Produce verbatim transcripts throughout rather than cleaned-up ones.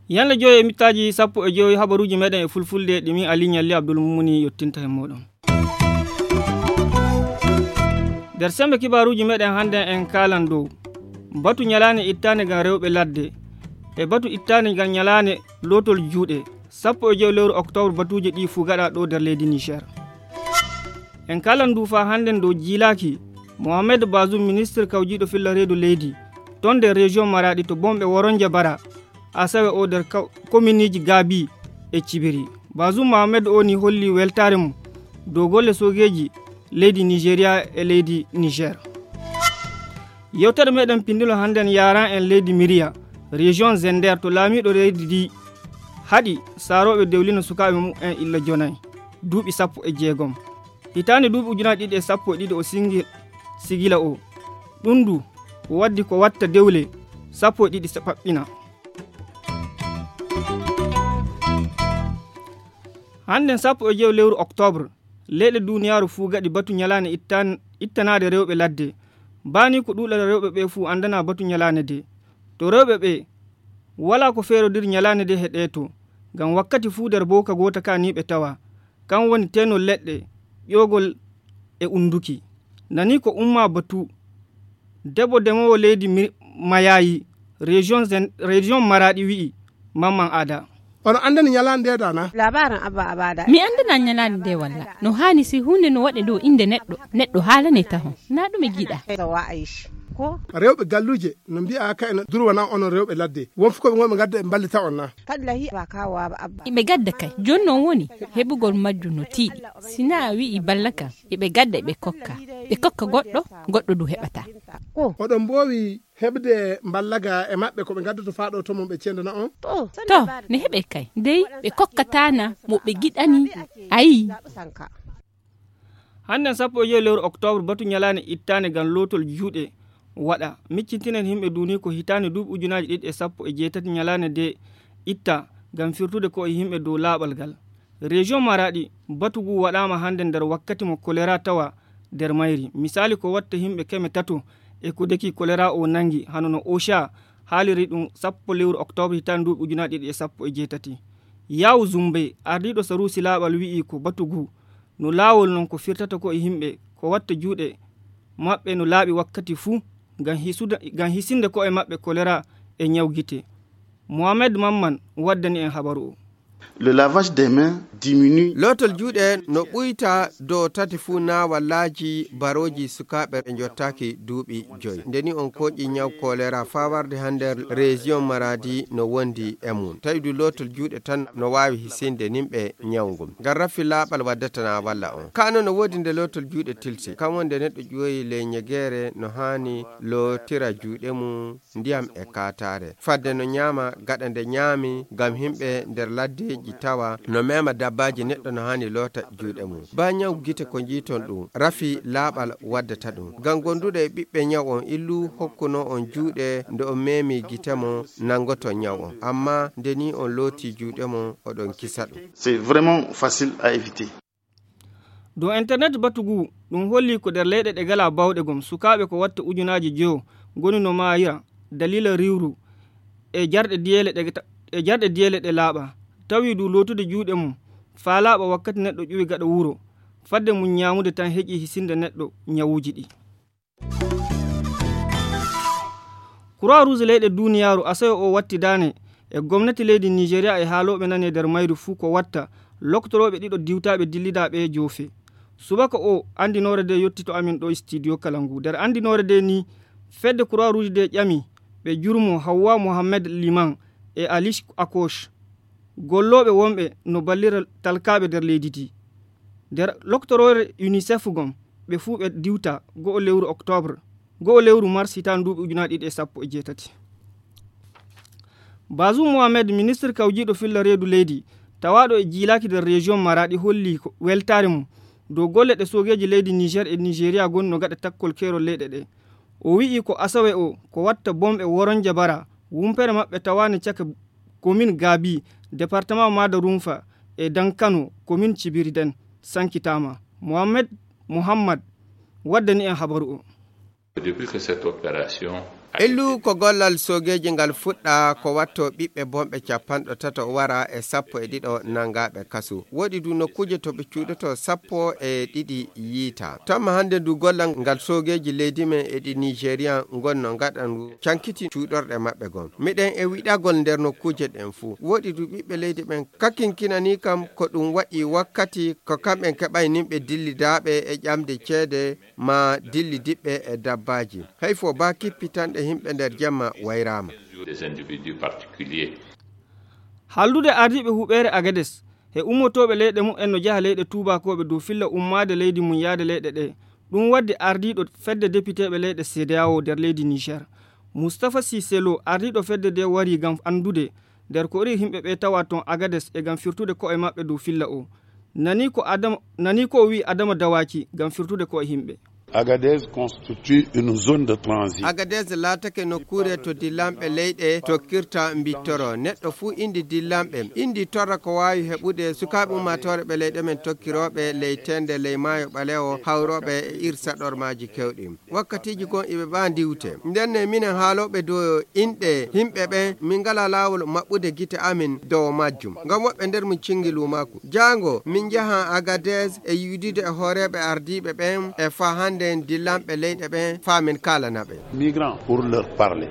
Yalla joyo e mittaaji sappo e joyi habaruuji meɗen e fulfulde ɗi min Ali Ñalli Abdul Mumuni yottinta e moɗon. Nder sembe kibaaruuji meɗen hannden en kaalan dow batu ñalaande ittaande ngam rewɓe ladde e batu ittaande ngam ñalaande lootol juuɗe sappo e joyi lewru oktoobre. Batuuji ɗi fuu gaɗa ɗo nder leydi Niger. En kaalan ndu faa hannden dow jiilaaki Mohamed Bazoum, ministre kawjiiɗo filla reedu leydi ton nder région Maraɗi to bomɓe Woronje Bara, Asawe o nder ka-, kominiji Gabi e Cibiri. Bazoum Mohamed o ni holli weltaare mum dow golle soogeeji leydi Nigeria e leydi Niger. Yewtere meɗen pindilo hannden yaran en leydi Miriya, région Zender, to laamiiɗo leydi ndi haɗi saarooɓe dewlina sukaaɓe mum en illa jonay, duuɓi sappo e jeegom. Hitaande duuɓi ujunaaji ɗiɗi e sappo e ɗiɗi o singi-, sigila o. Ɗum ndu waddi ko watta dewle sappo e ɗiɗi sa-, paɓɓina. Hannden sappo e jowi lewru oktoobre, leyɗe duuniyaaru fuu gaɗi batu ñalaande ittan-, ittanaade rewɓe ladde. Baa ni ko ɗuuɗal rewɓe ɓe fuu anndana batu ñalaande de. To rewɓe ɓe, walaa ko feerodiri ñalaande de he ɗee to, ngam wakkati fuu nder booka goota ka ni ɓe tawa. Kan woni tenol leɗɗe, ƴoogol e unnduki. Nani ko umma batu. Debbo demoowo leydi Mi-, Mayayi, région Zen-, région Maraɗi wi'i, Mamman Ada. Ono anndani ñalaande nde dana? Labarin Abba Abada. Mi anndana ñalaande nde walla. No haani si huunde no waɗe dow innde neɗɗo, neɗɗo haalane taho. Na ɗum e giɗa. Ko? Rewɓe galluje no mbi'a ka en durwana onon rewɓe ladde. Won fukoɓe ngon ɓe ngadda ɓe mballita on na? Kadi la hiɓa kawo Abba Abba. Iɓe gadda kay. Jooni noon woni heɓugol majjum no tiiɗi. Si na a wi'i balla kam, iɓe gadda iɓe kokka. Ɓe kokka goɗɗo, goɗɗo du heɓata. Ko? Oɗon mboowi heɓde mballaga e maɓɓe ko ɓe ngaddoto faa ɗo to mum ɓe cendana on? To, ne heɓe kay. Dey ɓe kokkataana mo ɓe giɗani. Ayi. Hannden sappo e jowi lewru oktoobre, batu ñalaande ittaande ngam lootol juuɗe waɗa. Miccintinen yimɓe duuni ko hitaande duuɓi ujunaaji ɗiɗi e sappo e jeetati ñalaande nde itta ngam firtude ko e yimɓe dow laaɓal ngal. Région Maraɗi, batu ngu waɗaama hannde nder wakkati mo kolera tawa nder mayri. Misaali ko watta yimɓe keme tato e ko deki kolera o nanngi, hano no OSHA haaliri ɗum sappo lewru oktoobre hitaande duuɓi ujunaaji ɗiɗi e sappo e jeetati. Yaawu Zumbe, ardiiɗo saruusi laaɓal wi'i ko batu ngu no laawol non ko firtata ko e yimɓe, ko watta juuɗe maɓɓe no laaɓi wakkati fuu ngam hisuda-, ngam hisinde ko'e maɓɓe kolera e ñaw gite. Mohamed Mamman waddani en habaru o. Le lavage des mains diminue. Lootol juuɗe no ɓuyta dow tati fuu na wallaaji barooji sukaaɓe ɓe njottaaki duuɓi joyi. Nde ni on kooƴi ñaw kolera faa warde hannde région Maradi no wondi e mum. Tawi du lootol juuɗe tan no waawi hisinde nimɓe ñaw ngun. Ngam rafi laaɓal waddata na walla on. Kaa noon no woodi nde lootol juuɗe tilsi. Kam woni nde neɗɗo ƴuwoyi ley ñegeere no haani lootira juuɗe mum ndiyam e kaataare. Fadde no ñaama gaɗa nde ñaami ngam yimɓe nder laddeeji tawa no meema dabbaaji neɗɗo no haani loota juuɗe mum. Baa ñaw gite ko njiiton ɗum, rafi laaɓal waddata ɗum. Ngam gonduɗo e ɓiɓɓe ñaw on illu hokkuno on juuɗe nde on meemi gite mo nangoto ñaw on. Amma nde ni on looti juuɗe mo oɗon kisa ɗum. C'est vraiment facile à éviter. Dow internet batu ngu, ɗum holli ko nder leyɗe ɗe ngalaa baawɗe gom, sukaaɓe ko watta ujunaaji joyo ngoni no maayira daliila riiwru e jarɗe diyeele ɗe ta-, e jarɗe diyeele ɗe laaɓa. Tawi du lootude juuɗe mum faa laaɓa wakkati neɗɗo ƴuwi gaɗa wuro, fadde mum ñaamude tan heƴi hisinde neɗɗo ñawuuji ɗi. Croix Rouge leyɗe duuniyaaru Asawe o watti daane e gomnati leydi Nigeria e haalooɓe nane nder mayri fuu ko watta loktorooɓe ɗiɗo diwtaaɓe dillidaaɓe e joofe. Subaka o anndinoore nde yotti to amin ɗo e studio kala ngu. Nder anndinoore nde ni, fedde Croix Rouge nde ƴami ɓe jurmo Hawwa Mohamed Liman e Alish Akosh, gollooɓe wonɓe no ballira talkaaɓe nder leydi ndi. Nder loktoroore UNICEF gom, ɓe fuu ɓe diwta go'o lewru oktoobre, go'o lewru mars hitaande duuɓi ujunaaji ɗiɗi e sappo e jeetati. Bazoum Mohamed, ministre kawjiiɗo filla reedu leydi, tawaaɗo e jiilaaki nder région Maraɗi, holli ko weltaare mum dow golle ɗe soogeeji leydi Niger e Nigeria ngoni no gaɗa takkol keerol leyɗe ɗe. O wi'i ko Asawe o ko watta bomɓe Woronje Bara, wumpere maɓɓe tawaane caka commune Gabi, département Madarunfa, E dankano komin cibiriden sankitaama. Mohammed muhammad waddani en habaru o. Ellu ko gollal soogeeji ngal fuɗɗa ko watto ɓiɓɓe bonɓe capanɗo tato wara e sappo e ɗiɗo nangaaɓe kasu. Woɗi du nokkuuje to ɓe cuuɗoto sappo e ɗiɗi yiita. Tamma hannde ndu gollal ngal soogeeji leydi men e ɗi Nigerian ngonno ngaɗa ndu cankiti cuuɗorɗe maɓɓe gon. Miɗen e wiɗagol nder nokkuuje ɗen fuu. Woɗi du ɓiɓɓe leydi ɓen kakinkinanii kam ko ɗum waɗi wakkati ko kamɓen keɓay nimɓe dillidaaɓe e ƴamde ceede ma dilli diɓɓe e dabbaaji. Hay fo ba kippitanɗe himɓe nder jemma wayraama. Haldude ardiiɓe huɓeere agades e ummotooɓe leyɗe mumen no jaha leyɗe tuubakooɓe dow filla ummaade leydi mum yaade leyɗe ɗe. Ɗum waddi ardiiɗo fedde depiteeɓe leyɗe cedeao nder leydi niger. Mustafa siselo ardiiɗo fedde nde wari ngam anndude nder ko iri yimɓe ɓe tawa toon agades e ngam firtude ko'e maɓɓe dow filla o. Nani ko adama nani ko o wi'i adama dawaki ngam firtude ko'e yimɓe. Agadez constitue une zone de transit. Agadez laatake nokkuure to dillanɓe leyɗe tokkirta mbittoro neɗɗo fuu indi dillanɓe indi torra ko waawi heɓude sukaaɓe ummaatoore ɓe leyɗe men tokkirooɓe ley tende ley maayo ɓalewo hawrooɓe e irsaɗormaaji kewɗi. Wakkatiiji gon iɓe ɓaa ndiwte. Ndenne minen haalooɓe dow inɗe yimɓe ɓen, min ngalaa laawol maɓɓude gite amin dow majjum. Ngam woɓɓe nder mum cingi luumaaku. Jaango min njahan Agadez e yiidude e hooreeɓe ardiiɓe ɓen e faa hannden dillanɓe leyɗe ɓen faa min kaalana ɓe. Migrants pour leur parler.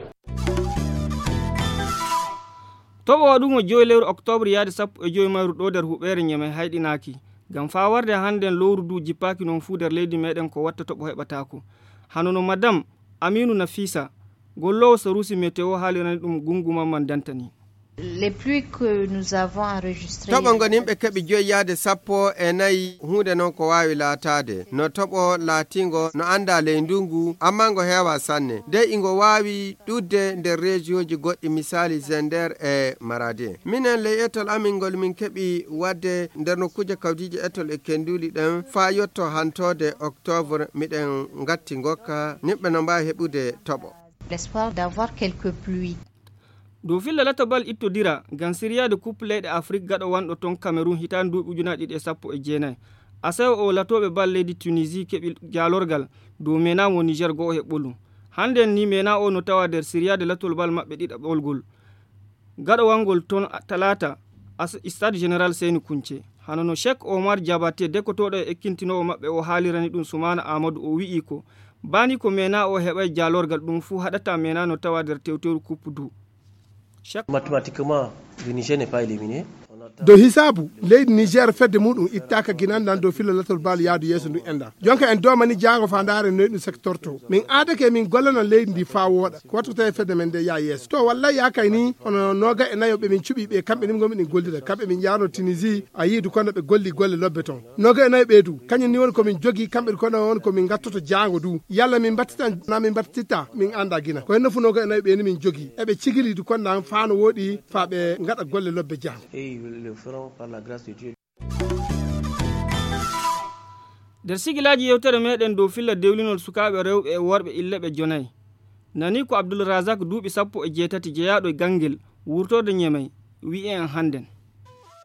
Toɓo waɗugo joyi lewru oktoobre yaade sappo e joyi mayru ɗo nder huɓeere Ñemey hayɗinaaki. Ngam faa warde hannden lowru du jippaaki non fuu nder leydi meɗen ko watta toɓo heɓataako. Hano no madam Aminu Nafisa, golloowo saruusi meteo haalirani ɗum Gungu Mamman Dantani. Les pluies que nous avons enregistrées. Toɓo ngo nimɓe keɓi joyi yaade sappo e nayi huunde noon ko waawi laataade no toɓo laatingo no anndaa ley ndunngu amma ngo heewaa sanne dey ingo waawi ɗudde nder reejiyooji goɗɗi misaali zender e maradi. Minen ley etol amin ngol min keɓi waɗde nder nokkuuje kawdiije etol e kenduuli ɗen faa yotto hantoode oktoobre miɗen ngatti ngokka nimɓe no mbaawi heɓude toɓo. L'espoir d'avoir quelques pluies. Dow filla lato bal ittodira ngam siryaade kuppe leyɗe afrik gaɗo wanɗo toon kamerun hitaande duuɓi ujunaaji ɗiɗi e sappo e jeenayi. Asawe o latooɓe bal leydi tunisi keɓi jaalorgal dow mena mo niger go'o he ɓolu. Hannden ni mena o no tawa nder siryaade latol bal maɓɓe ɗiɗaɓolgol gaɗowangol toon talaata. Stade général seyni kunce hano no chek omar jabate dekkotooɗo e ekkintinoowo maɓɓe o haalirani ɗum sumaana amadou o wi'i ko baani ko mena o heɓay jaalorgal ɗum fuu haɗata mena no tawa nder tewteru kuppu du. Mathématiquement, le Niger n'est pas éliminé. Dow hisaabu leydi niger fedde muɗum ittaaka ginandan dow filla latol baal yaadu yeeso ndu enɗan. Jonka en doomani jaango faa ndaaren noy ɗum sektorto. Min aadake min gollanan leydi ndi faa wooɗa ko wattu tawi fedde men nde yaa yeeso to wallay yaakay ni hono nooga e nayo ɓe min cuɓi ɓe kamɓe ni min gomi ɗin gollira kamɓe min yaarno tunisi a yii du kono ɓe golli golle lobbe toon. Nooga e nayo ɓeydu kañum ni woni ko min jogii kamɓe du kono woni ko min ngattoto jaango du yalla min mbattitan na min mbattitta min annda gina ko henno fu nooga e nayo ɓeydu min jogii eɓe cigili du konnan faa no wooɗi faa ɓe ngaɗa golle lobbe jaango. Nder sigilaaji yewtere meɗen dow filla dewlinol sukaaɓe rewɓe e worɓe ille ɓe jonayi. Nani ko abdul razak duuɓi sappo e jeetati jeyaaɗo e ganngel wurtorde ñemey wi'i en hannden.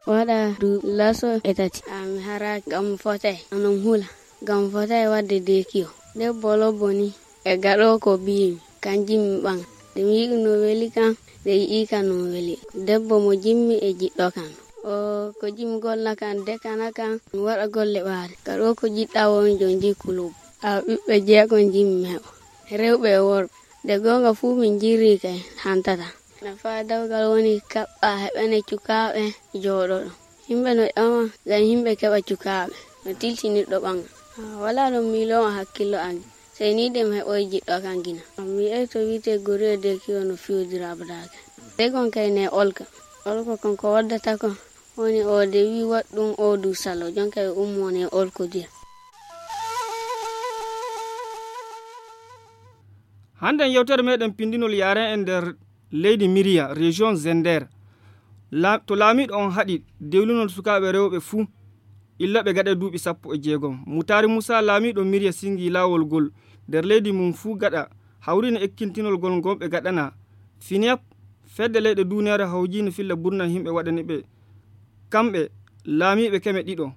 Waɗa duuɓi laso e tati ami haraaki ngam mi fotay onon hula ngam mi fotay waɗde dekiyo. Debbo lobbo ni e gaɗo ko biyimi kanjum mi ɓaŋa. Nde mi yi'i no weli kam nde yi'i kam no weli. Debbo mo jimmi e jiɗɗo kam o ko jimmi golla kam dekana kam mi waɗa golle ɓaare. Gaɗo ko jiɗɗa woni jon jikku lobbo. Awa ɓiɓɓe jeego jimmi heɓa rewɓe e worɓe. Nde goonga fuu min njirri kay hantata. Nafa dawgal woni kaɓɓa heɓene cukaaɓe jooɗoɗo. Yimɓe no ƴama ngam yimɓe keɓa cukaaɓe no tilti neɗɗo ɓaŋa. Walaa ɗon miiloowo hakkillo am sey ni de mi heɓoyi jiɗɗo kam gina. Mi yi'ay to wi'etee gori e deekiyo no fiyodira abadaake. Sey kon kay ne olka. Olko kon ko waddata kon woni o de wi waɗ ɗum o du salo jonka e ummo ne olkodira. Hannden yewtere meɗen pindinol yaren en nder leydi miriya région zender. To laamiiɗo on haɗi dewlinol sukaaɓe rewɓe fuu illa ɓe gaɗa duuɓi sappo e jeegom. Mutaari muusa laamiiɗo miriya singi laawol ngol nder leydi mum fuu gaɗa hawriino ekkintinol ngol ngol ɓe gaɗana finiyap. Fedde leyɗe duuniyaare hawjiino filla burna yimɓe waɗani ɓe kamɓe laamiiɓe keme ɗiɗo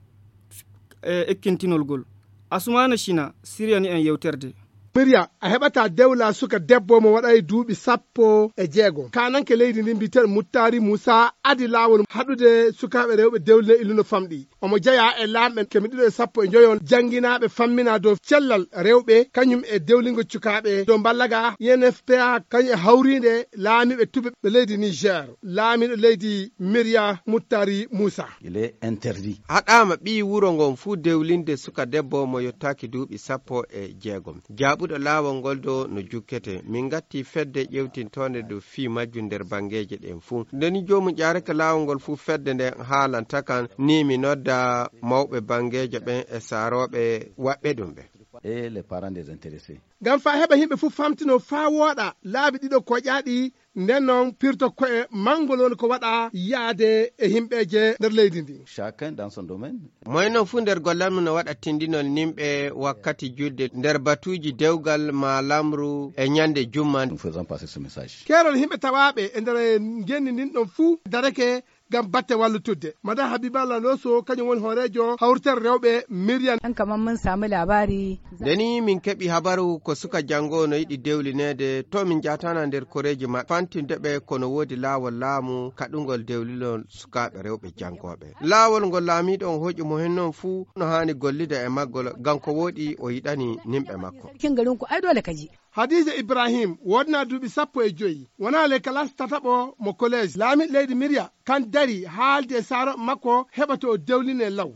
e ekkintinol ngol. Asumaana Cina siryani en yewterde. Miriya, a heɓataa dewla suka debbo mo waɗay duuɓi sappo e jeego. Kaananke leydi ndin mbiyeteeɗo Muttaari Muusa adi laawol haɗude sukaaɓe rewɓe dewline illuno famɗi. Omo jeyaa e laamɓe keme ɗiɗo e sappo e njoyon jannginaaɓe famminaa dow cellal rewɓe, kañum e dewlingol cukaaɓe dow mballaga I N F P A, kañum e hawriinde laamiiɓe tube ɓe leydi Niger. Laamiiɗo leydi Miriya Muttaari Muusa. Il est interdit. Haɗaama ɓii wuro ngon fuu dewlinde suka debbo mo yottaaki duuɓi sappo e jeegom. Jaaɓuɗo laawol ngol dow no jukkete. Min ngatti fedde ƴewtintoonde dow fii majjum nder banngeeje ɗen fuu. Nde ni joomum ƴaarake laawol ngol fuu fedde nden haalanta kan, ni mi nodda mawɓe banngeeje ɓen e saarooɓe waɗɓe ɗum ɓen. Et les parents des intéressés. Ngam faa heɓa yimɓe fuu famtinoo faa wooɗa laabi ɗiɗo koƴaaɗi, nden non pirto ko'e mangol woni ko waɗa yaade e yimɓeeje nder leydi ndi. Chacun dans son domaine. Moy non fuu nder gollal mum no waɗa tindinol nimɓe wakkati julde nder batuuji dewgal maa lamru e ñande jumma. Nous faisons passer ce message. Keerol yimɓe tawaaɓe e nder ngenndi ndin ɗon fuu darake ngam batte wallitudde. Madame Habiba Laloso, kañum woni hooreejo hawritere rewɓe Miriam. An kamar mun samu labari. Nde ni min keɓi habaru ko suka janngo no yiɗi dewlineede, to min njaatana nder koreeji maɓɓe, fantinde ɓe kono woodi laawol laamu kaɗungol dewlilol sukaaɓe rewɓe janngooɓe. Laawol ngol laamiiɗo on hooƴi mo hen non fuu no haani gollude e maggol, ngam ko wooɗi o yiɗani nimɓe makko. Kin garin ku ai dole ka ji. Hadiija Ibrahim woodnaa duuɓi sappo e joyi, wonaa le kalaas tataɓo mo koleej. Laamiiɗo leydi Miriya kan dari haaldi e saarooɓe makko heɓa to o dewline law.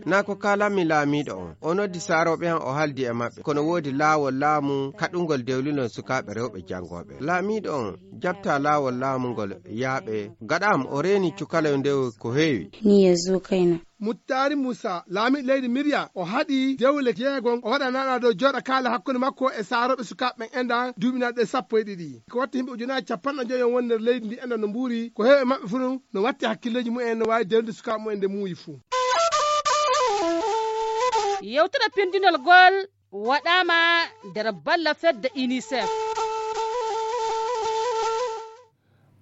Naa ko kaalammi laamiiɗo on. O noddi saarooɓe an, o haaldi e maɓɓe. Kono woodi laawol laamu kaɗungol dewlilol sukaaɓe rewɓe janngooɓe. Laamiiɗo on jaɓtaa laawol laamu ngol yaaɓe. Gaɗa am o reeni cukaloyo ndew ko heewi. Ni ya zo kaina. Muttaari Muusa, laamiiɗo leydi Miriya, o haɗi dewle jeegom, o waɗanaɗaa dow jooɗa kaala hakkunde makko e saarooɓe sukaaɓe ɓen enɗan duuɓinaaɗe sappo e ɗiɗi. Ko watta yimɓe ujunaaji capanɗe joyi on woni nder leydi ndi enɗan no mbuuri, ko heewi e maɓɓe fuu no watti hakkilleeji mumen, no waawi dewlinde sukaaɓe mumen nde muuyi fuu. Yewtere pindinol gol waɗaama nder balla fedde UNICEF.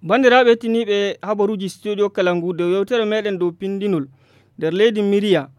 Banndiraaɓe hettiniiɓe habaruuji Studio Kalangu, dow yewtere meɗen dow pindinol nder leydi Miriya,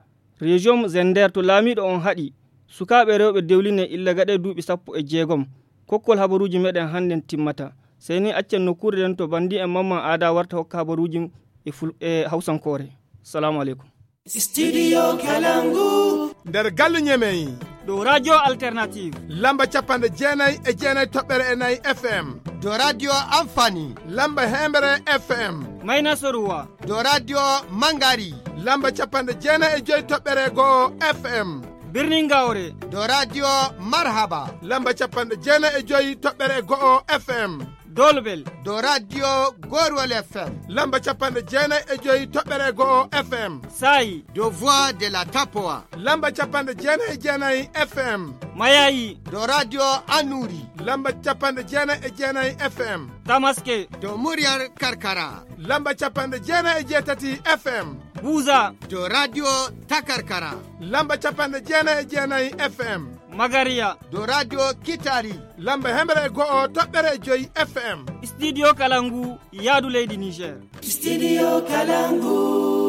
région Zender, to laamiiɗo on haɗi sukaaɓe rewɓe dewline illa gaɗe duuɓi sappo e jeegom. Kokkol habaruuji meɗen hannden timmata. Sey ni accen nokkuure nden to banndii'en Mamman Aada warta hokka habaruuji e ful-, e hawsankoore. Salaamu aleykum. Studio Kalangu. Nder galle Ñemey. Dow Radio Alternative. Lamba capanɗe jeenayi e jeenayi toɓɓere e nayi F M. Dow Radio Amfani. Lamba heembere F M. Mayna Soruwa. Dow Radio Mangari. Lamba capanɗe jeenayi e joyi toɓɓere go'o F M. Birnin Gawre. Dow Radio Marhaba. Lamba capanɗe jeenayi e joyi toɓɓere go'o F M. Dolbel. Dow Radio Gorwol F M. Lamba capanɗe jeenayi e joyi toɓɓere go'o F M. Saayi. Dow Voix de la Tapowa. Lamba capanɗe jeenayi e jeenayi F M. Mayayi. Dow Radio Anuri. Lamba capanɗe jeenayi e jeenayi F M. Tamaske. Dow Muryar Karkara. Lamba capanɗe jeenayi e jeetati F M. Buza. Dow Radio Takarkara. Lamba capanɗe jeenayi e jeenayi F M. Magariya. Dow Radio Kitari. Lamba hemre e go'o toɓɓere e joyi F M. Studio Kalangu, yaadu leydi Niger. Studio Kalangu.